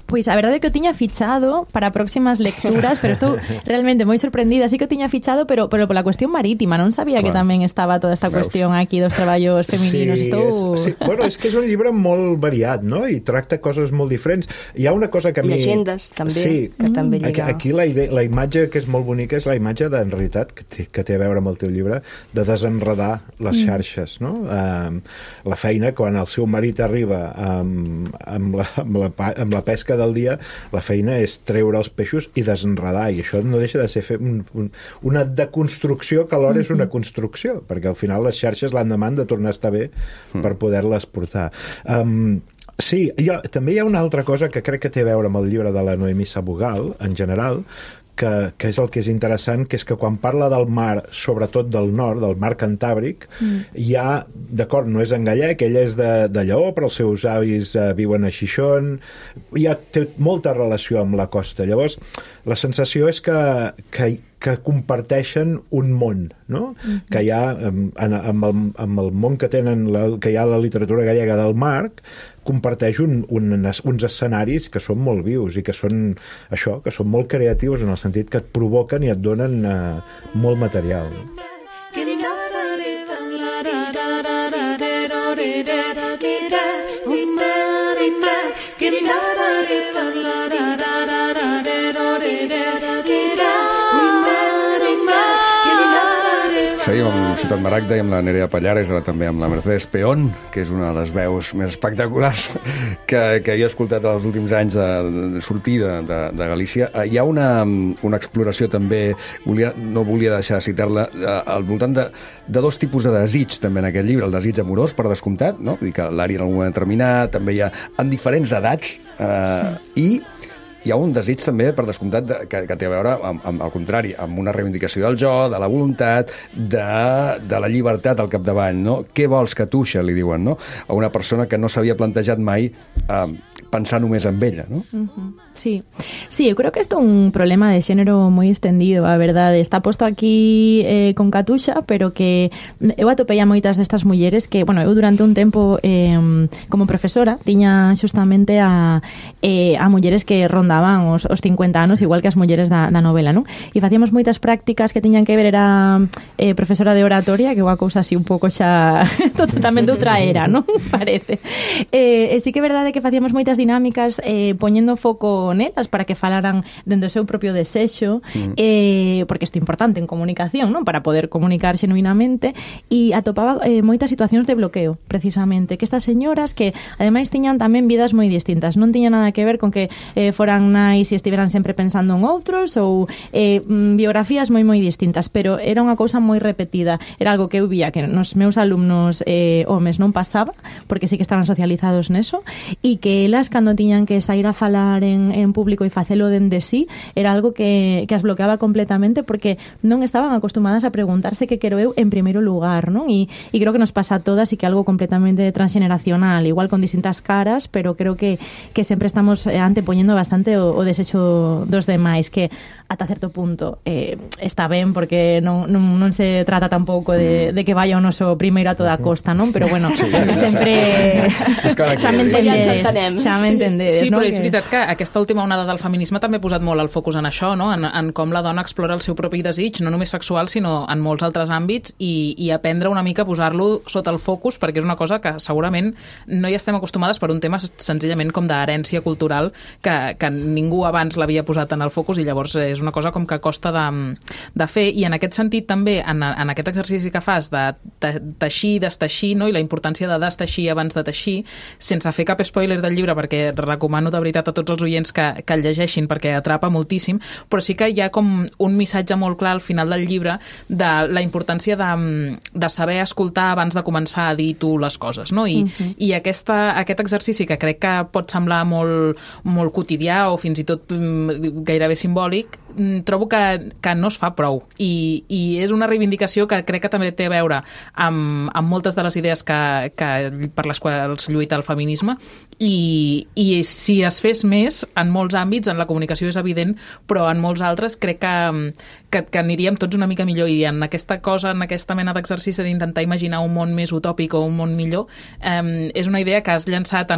Pois a verdade é que o tiña fichado para próximas lecturas, pero estou realmente moi sorprendida. Sí que o tiña fichado, pero pola cuestión marítima. Non sabía que tamén estaba toda esta cuestión aquí dos traballos femininos. Bueno, és que és un llibre molt variat, no? I tracta coses molt diferents. Hi ha una cosa que a mi... Llegendes, també, que també lliga. Aquí la imatge que és molt bonica és la imatge, en realitat, que té a veure amb el teu llibre, de desenredar les xarxes, no? La feina, quan el seu marit arriba amb la pesca del dia, la feina és treure els peixos i desenredar, i això no deixa de ser una deconstrucció que alhora és una construcció, perquè al final les xarxes l'endemà han de tornar a estar bé per poder-les portar. Sí, també hi ha una altra cosa que crec que té a veure amb el llibre de la Noemí Sabugal, en general, que és el que és interessant, que és que quan parla del mar, sobretot del nord, del mar Cantàbric, hi ha, d'acord, no és en gallec, ella és de Lleó, però els seus avis viuen a Xixón, té molta relació amb la costa. Llavors, la sensació és que comparteixen un món, no? Que hi ha, amb el món que hi ha a la literatura gallega del mar, comparteix uns escenaris que són molt vius i que són això, que són molt creatius en el sentit que et provoquen i et donen molt material. Seguim amb Ciutat Maragda i amb la Nerea Pallares, ara també amb la Mercedes Peón, que és una de les veus més espectaculars que jo he escoltat els últims anys de sortida de Galícia. Hi ha una exploració també, no volia deixar de citar-la, al voltant de dos tipus de desig també en aquest llibre. El desig amorós, per descomptat, no? Vull dir que l'Ari en algun moment determinat, també hi ha en diferents edats, i hi ha un desig també, per descomptat, que té a veure, al contrari, amb una reivindicació del jo, de la voluntat, de la llibertat al capdavall, no? Què vols, Catuixa, li diuen, no? A una persona que no s'havia plantejat mai pensar només en ella, ¿no? Sí, yo creo que esto es un problema de género muy extendido, a verdade. Está posto aquí con Catuixa, pero que eu atopei a moitas destas mulleres que, bueno, eu durante un tempo como profesora tiña xustamente a mulleres que rondaban os 50 anos, igual que as mulleres da novela, non? E facíamos moitas prácticas que tiñan que ver, era profesora de oratoria, que é unha cousa así un pouco xa totalmente outra era, non? Parece. E sí que é verdade que facíamos moitas dinámicas poñendo foco nelas para que falaran dentro do seu propio desexo, porque isto é importante en comunicación, non? Para poder comunicar xenuinamente, e atopaba moitas situacións de bloqueo, precisamente, que estas señoras que ademais tiñan tamén vidas moi distintas, non tiñan nada que ver con que foran nais e estiveran sempre pensando en outros, ou biografías moi distintas, pero era unha cousa moi repetida, era algo que eu vía que nos meus alumnos homes non pasaba, porque sí que estaban socializados neso, e que elas, cando tiñan que sair a falar en público e facelo dende sí, era algo que as bloqueaba completamente, porque non estaban acostumadas a preguntarse que quero eu en primeiro lugar, non? E creo que nos pasa a todas, e que algo completamente transgeneracional, igual con distintas caras, pero creo que sempre estamos antepoñendo bastante o desexo dos demais, que ata certo punto está ben, porque non se trata tampouco de que vaya o noso primeiro a toda costa, non? Pero bueno, sempre xa me entendedes. Sí, però és veritat que aquesta última onada del feminisme també ha posat molt el focus en això, no? En com la dona explora el seu propi desig, no només sexual, sinó en molts altres àmbits, i aprendre una mica a posar-lo sota el focus, perquè és una cosa que segurament no hi estem acostumades per un tema senzillament com d'herència cultural que ningú abans l'havia posat en el focus, i llavors és una cosa com que costa de fer. I en aquest sentit també, en aquest exercici que fas de teixir, desteixir, no? I la importància de desteixir abans de teixir, sense fer cap spoiler del llibre, perquè recomano de veritat a tots els oients que el llegeixin, perquè atrapa moltíssim, però sí que hi ha com un missatge molt clar al final del llibre de la importància de saber escoltar abans de començar a dir tu les coses, no? I aquest exercici, que crec que pot semblar molt, molt quotidià o fins i tot gairebé simbòlic, trobo que no es fa prou. I és una reivindicació que crec que també té a veure amb moltes de les idees per les quals lluita el feminisme, i si es fes més en molts àmbits, en la comunicació és evident, però en molts altres crec que aniríem tots una mica millor, i en aquesta cosa, en aquesta mena d'exercici d'intentar imaginar un món més utòpic o un món millor, és una idea que has llançat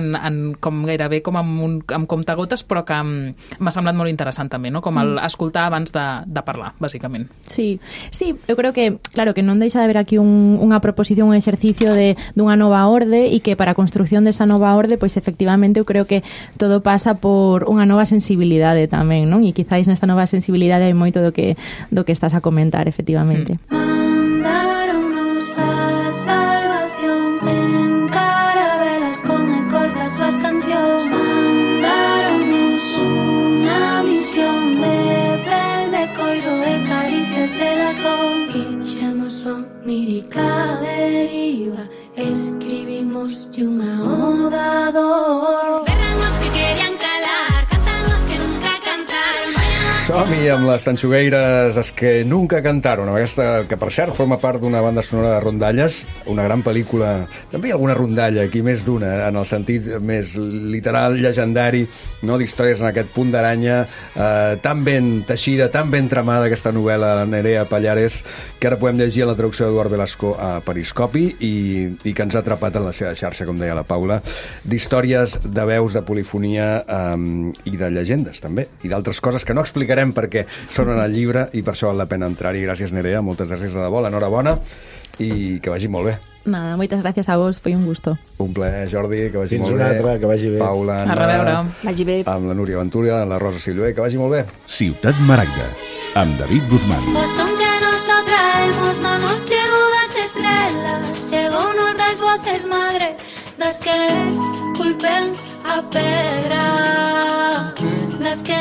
com gairebé com amb comptagotes, però que m'ha semblat molt interessant també, no? Com escoltar abans de parlar, básicamente. Sí, eu creo que, claro, que non deixa de haber aquí unha proposición, un exercicio dunha nova orde, e que para a construcción desa nova orde, pois efectivamente eu creo que todo pasa por unha nova sensibilidade tamén, non? E quizáis nesta nova sensibilidade hai moito do que estás a comentar, efectivamente. Mandaronnos a salvación en carabelas con ecos das súas cancións. Mandaronnos unha misión de pel de coiro e caricias de latón. Fixemos onírica deriva, escribimos unha oda dor. Berramos que querían calar, cantamos que nunca cantaron. Som-hi amb les Tanxugueires, es que nunca cantaron, aquesta que per cert forma part d'una banda sonora de rondalles, una gran pel·lícula, també hi ha alguna rondalla aquí, més d'una, en el sentit més literal, llegendari, no, d'històries en aquest punt d'aranya, tan ben teixida, tan ben tramada, aquesta novel·la de Nerea Pallares, que ara podem llegir en la traducció d'Eduard Velasco a Periscopi, i que ens ha atrapat en la seva xarxa, com deia la Paula, d'històries, de veus, de polifonia i de llegendes, també, i d'altres coses que no explicarem perquè són en el llibre, i per això val la pena entrar-hi. Gràcies, Nerea, moltes gràcies de debò, enhorabona, i que vagi molt bé. Nada, moitas gracias a vos, foi un gusto. Un plaer, Jordi, que vagi Fins molt bé. una altra, que vagi bé. Paula, A reveure. Vagi bé. amb la Núria Ventura, amb la Rosa Silvé, que vagi molt bé. Ciutat Maragda, amb David Guzmán. Pues aunque nos atraemos, no nos chegou das estrelas, chegou nos das voces madre, das que esculpen a pedra, das que